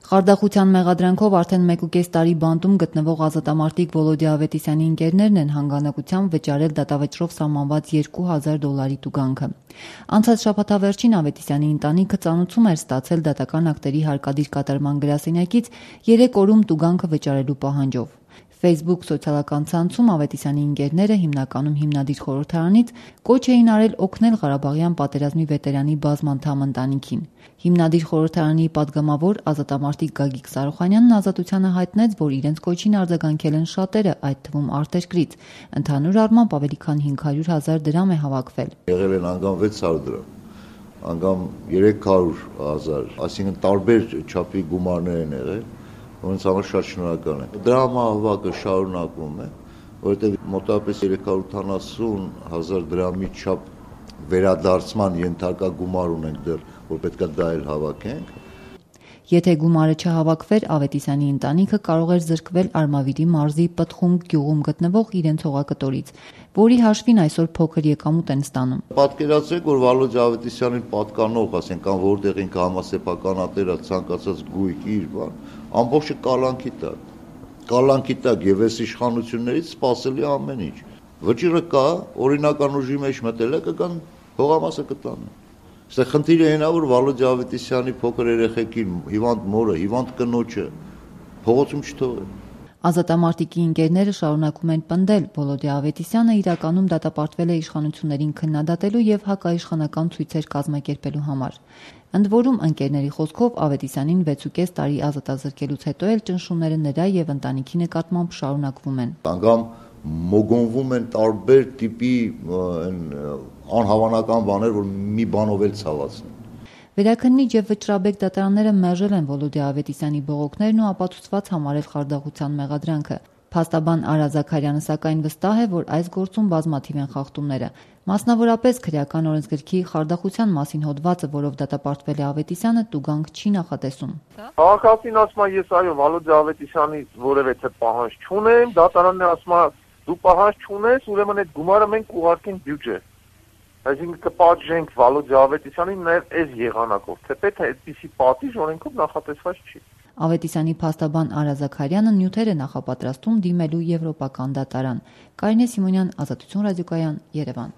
Խարդախության մեղադրանքով արդեն 1.5 տարի բանտում գտնվող ազատամարտիկ Վոլոդիա Ավետիսյանի ընկերներն են հանգանակությամբ վճարել դատավճռով սահմանված $2000 տուգանքը։ Անցած շաբաթավերջին Ավետիսյանի ընտանիքը ծանուցում էր ստացել դատական ակտերի հարկադիր կատարման գրասենյակից 3 օրում տուգանքը վճարելու պահանջով։ Facebook սոցիալական ցանցում Ավետիսյանի ընկերները հիմնականում հիմնադիր խորհրդարանից կոչ էին արել օգնել Ղարաբաղյան պատերազմի վետերանի բազմանդամ ընտանիքին։ Հիմնադիր խորհրդարանի падգամավոր ազատամարտիկ Գագիկ Սարոխանյանն Ազատությանը հայտնեց, որ իրենց կոչին արձագանքել են շատերը, այդ թվում արտերկրից։ Ընդհանուր առմամբ ավելի քան 500,000 դրամ է հավաքվել։ Եղել են անգամ 600 դրամ, անգամ 300,000, այսինքն տարբեր չափի գումարներ են եղել, որոնց համար շատ շնորհակալ եմ։ Դրամահավաքը շարունակվում է, որովհետև մոտավորապես 380,000 դրամի չափ վերադարձման ենթակա գումար ունենք դեռ, որ պետք է դա էլ հավաքենք։ Եթե գումարը չհավաքվեր, Ավետիսյանի ընտանիքը կարող էր զրկվել Արմավիրի մարզի Պտխունք գյուղում գտնվող իրենց հողակտորից, որի հաշվին այսօր փոքր եկամուտ են ստանում։ Պատկերացրեք, որ Վալոդիա Ավետիսյանին պատկանող, ասենք, կամ որտեղ ինքը համասեփականատերը ցանկացած գույք իր բան, ամբողջը կալանքի տակ եւ այս իշխանություններից սпасելի ամեն ինչ։ Վճիռը կա, օրինական ուժի մեջ մտել է, կգան հողամասը կտան։ Այստեղ խնդիրը այն է, որ Վալոդիա Ավետիսյանի փոքր երեխեքին, հիվանդ մորը, հիվանդ կնոջը փողոցում չթողեն։ Ազատամարտիկի ընկերները շարունակում են պնդել, Վոլոդիա Ավետիսյանը իրականում դատապարտվել է իշխանություններին քննադատելու եւ հակաիշխանական ցույցեր կազմակերպելու համար։ Ընդ որում, ընկերների խոսքով Ավետիսյանին 6.5 տարի ազատազրկելուց հետո էլ ճնշումները նրա եւ ընտանիքի նկատմամբ շարունակվում են։ Անգամ մոգոնվում են տարբեր տիպի անհավանական բաներ, որ մի բանով էլ ցավացնեն։ Վերաքննիչ եւ վճռաբեկ դատարանները մերժել են Վոլոդիա Ավետիսյանի բողոքներն ու ապացուցված համարել խարդախության մեղադրանքը։ Փաստաբան Արա Զաքարյանը սակայն վստահ է, որ այս գործում բազմաթիվ են խախտումները։ Մասնավորապես քրեական օրենսգրքի խարդախության մասին հոդվածը, որով դատապարտվել է Ավետիսյանը, տուգանք չի նախատեսում։ Քաղաքացին ասում է, ես այո Վալոդիա Ավետիսյանից որևէ պահանջ չունեմ, դատարանն ասում է դու պահանջ չունես, ուրեմն այդ գումարը մենք կուղարկենք բյուջե։ Այսինքն կպատժենք Վալոդիա Ավետիսյանին նաև այս եղանակով, թեպետ այդպիսի պատիժ օրենքով նախատեսված չի։ Ավետիսյանի փաստաբան Արա Զաքարյանը նյութեր է նախապատրաստում դիմելու եվրոպական դատարան։ Կարինե Սիմոնյան, Ազատություն ռադիոկայան, Երևան։